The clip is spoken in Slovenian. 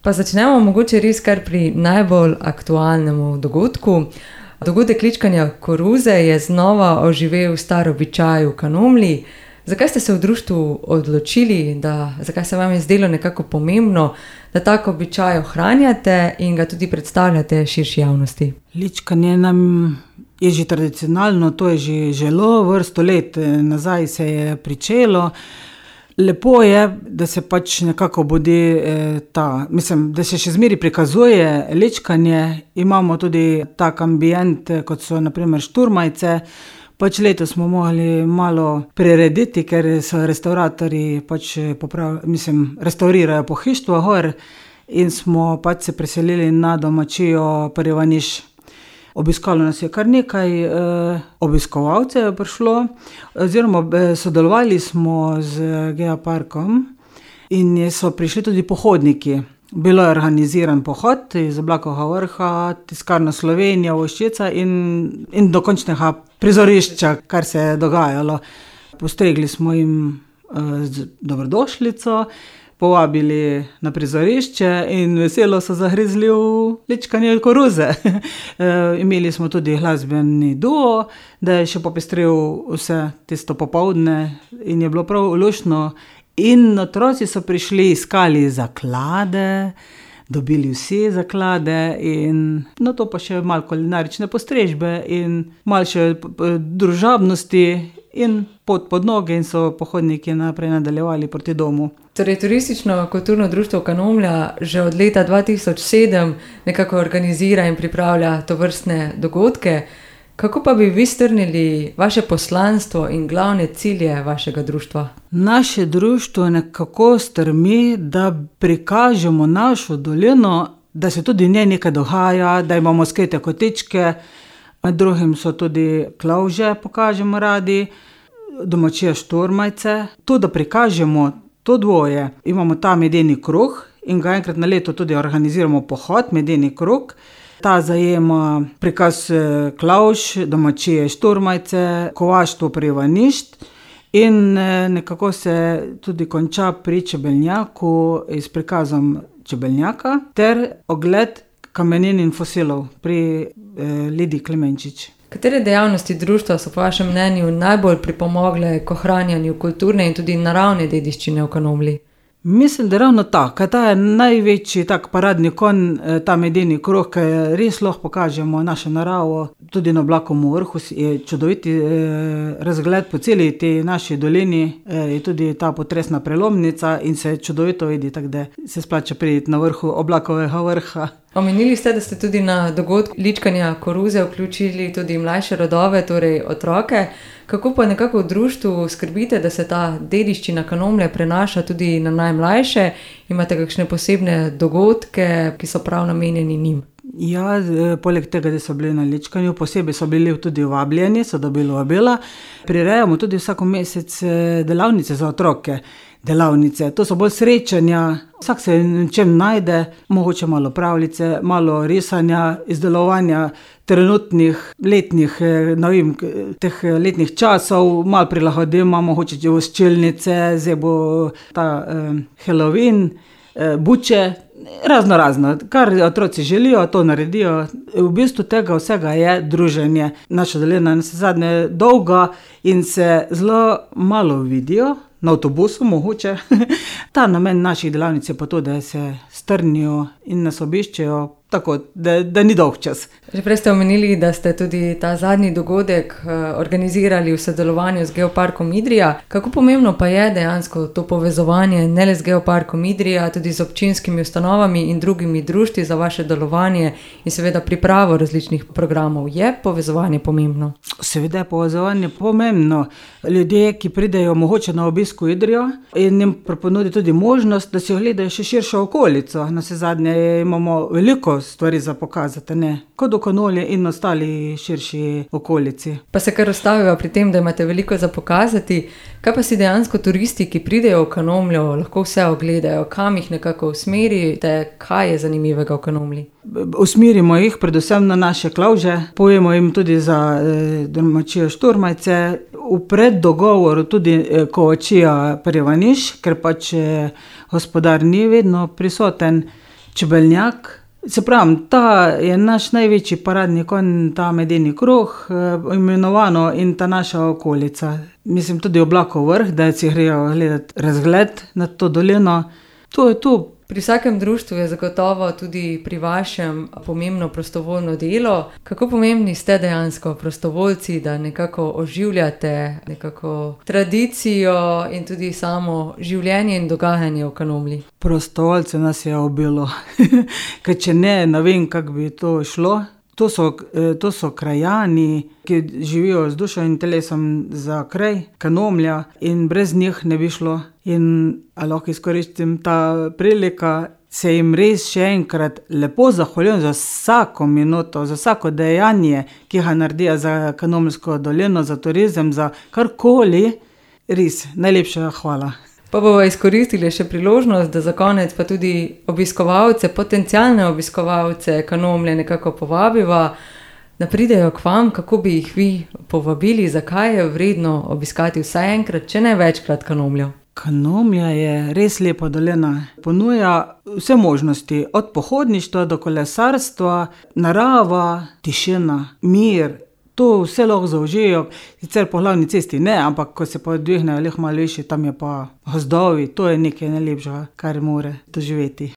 Pa začnemo mogoče res kar pri najbolj aktualnem dogodku. Dogodek ličkanja koruze je znova oživel star običaj v Kanomlji. Zakaj ste se v društvu odločili, zakaj se vam je zdelo nekako pomembno, da tako običaj ohranjate in ga tudi predstavljate širši javnosti? Ličkanje nam je že tradicionalno, to je že zelo vrsto let nazaj se je pričelo. Lepo je, da se pač nekako budi da se še zmeri prikazuje ličkanje. Imamo tudi tak ambient, kot so na primer šturmajce. Pač letos smo mogli malo prirediti, ker so restauratorji restaurirajo pohištvo gor in smo pač se preselili na domačijo Prvi Ivaniš. Obiskalo nas je kar nekaj obiskovalcev je prišlo, oziroma sodelovali smo z geoparkom in so prišli tudi pohodniki. Bilo je organiziran pohod iz Oblakovega vrha, Tiskarna Slovenija, Voščica in do končnega prizorišča, kar se je dogajalo. Postregli smo jim z dobrodošlico, povabili na prizorišče in veselo so zagrizli v ličkanje koruze. Imeli smo tudi glasbeni duo, da je še popestril vse tisto popoldne in je bilo prav luštno. In otroci so prišli, iskali zaklade, dobili vsi zaklade in to pa še malo kulinarične postrežbe in malo še družabnosti in pot pod noge in so pohodniki naprej nadaljevali proti domu. Torej, Turistično-kulturno društvo Kanomlja že od leta 2007 nekako organizira in pripravlja tovrstne dogodke. Kako pa bi vi strnili vaše poslanstvo in glavne cilje vašega društva? Naše društvo nekako strmi, da prikažemo našo dolino, da se tudi v njej nekaj dogaja, da imamo skrite kotičke, med drugim so tudi klavže, pokažemo radi, domačije šturmajce. To, da prikažemo to dvoje, imamo ta medeni krog in ga enkrat na leto tudi organiziramo pohod, medeni krog. Ta zajema prikaz klavž, domačije šturmajce, kovaštvo Prvi Ivaniš in nekako se tudi konča pri čebelnjaku s prikazom čebelnjaka ter ogled kamenin in fosilov pri Lidiji Klemenčič. Katere dejavnosti društva so po vašem mnenju najbolj pripomogle k ohranjanju kulturne in tudi naravne dediščine v Kanomlji? Mislim, da ravno tako. Ta je največji tak paradni konj, ta medeni krog, ker res lahko pokažemo našo naravo. Tudi na Oblakovem vrhu je čudoviti razgled po celi tej naši dolini, je tudi ta potresna prelomnica in se čudovito vidi, tako da se splača priti na vrhu Oblakovega vrha. Omenili ste, da ste tudi na dogodku ličkanja koruze vključili tudi mlajše rodove, torej otroke. Kako pa nekako v društvu skrbite, da se ta dediščina Kanomlje prenaša tudi na najmlajše? Imate kakšne posebne dogodke, ki so prav namenjeni njim? Ja, poleg tega, da so bili na ličkanju, posebej so bili tudi vabljeni, so dobili vabila. Prirejamo tudi vsako mesec delavnice za otroke. To so bolj srečanja, vsak se čem najde, mogoče malo pravljice, malo risanja, izdelovanja trenutnih letnih, teh letnih časov, malo prilagodimo, mogoče voščilnice, zdaj bo ta Halloween, buče, razno, kar otroci želijo, to naredijo. V bistvu tega vsega je druženje. Naša dolina je zadnje dolga in se zelo malo vidijo, na avtobusu mogoče. Ta namen naših delavnic je pa to, da se strnijo in nas obiščejo, tako da ni dolg čas. Že prej ste omenili, da ste tudi ta zadnji dogodek organizirali v sodelovanju z Geoparkom Idrija. Kako pomembno pa je dejansko to povezovanje ne le z Geoparkom Idrija, tudi z občinskimi ustanovami in drugimi društvi za vaše delovanje in seveda pripravo različnih programov? Je povezovanje pomembno? Seveda je povezovanje pomembno. Ljudje, ki pridejo mogoče na obisk v Idrijo in jim ponudi tudi možnost, da si ogledajo še širšo okolico. Navsezadnje imamo veliko stvari za pokazati, kot v Kanomlji in ostali širši okolici. Pa se kar ustavijo pri tem, da imate veliko za pokazati. Kaj pa si dejansko turisti, ki pridejo v Kanomljo, lahko vse ogledajo? Kam jih nekako usmerite? Kaj je zanimivega v Kanomlji? Usmerimo jih predvsem na naše klavže, povemo jim tudi za domačijo šturmajce, v preddogovoru tudi kovačija Prvi Ivaniš, ker pač gospodar ni vedno prisoten. Čebelnjak. Se pravi, ta je naš največji paradni konj, ta medeni krog, imenovano, in ta naša okolica. Mislim, tudi Oblakov vrh, da si grejo gledati razgled nad to dolino. To je to. Pri vsakem društvu je zagotovo tudi pri vašem pomembno prostovoljno delo. Kako pomembni ste dejansko prostovoljci, da nekako oživljate nekako tradicijo in tudi samo življenje in dogajanje v Kanomlji? Prostovoljce nas je obilo, ker če ne vem, kako bi to šlo. To so krajani, ki živijo z dušo in telesom za kraj Kanomlja, in brez njih ne bi šlo. In lahko izkoristim ta prilika, se jim res še enkrat lepo zahvaljujem za vsako minuto, za vsako dejanje, ki ga naredijo za Kanomljsko dolino, za turizem, za karkoli. Res, najlepša hvala. Pa bomo izkoristili še priložnost, da za konec pa tudi obiskovalce, potencialne obiskovalce Kanomlje nekako povabiva, da pridejo k vam. Kako bi jih vi povabili, zakaj je vredno obiskati vsaj enkrat, če ne večkrat Kanomljo? Kanomlja je res lepa dolina. Ponuja vse možnosti, od pohodništva do kolesarstva, narava, tišina, mir. To vse lahko zaužijo, sicer po glavni cesti ne, ampak ko se pa dvignejo malo višje, tam je pa gozdovi, to je nekaj najlepšega, kar more doživeti.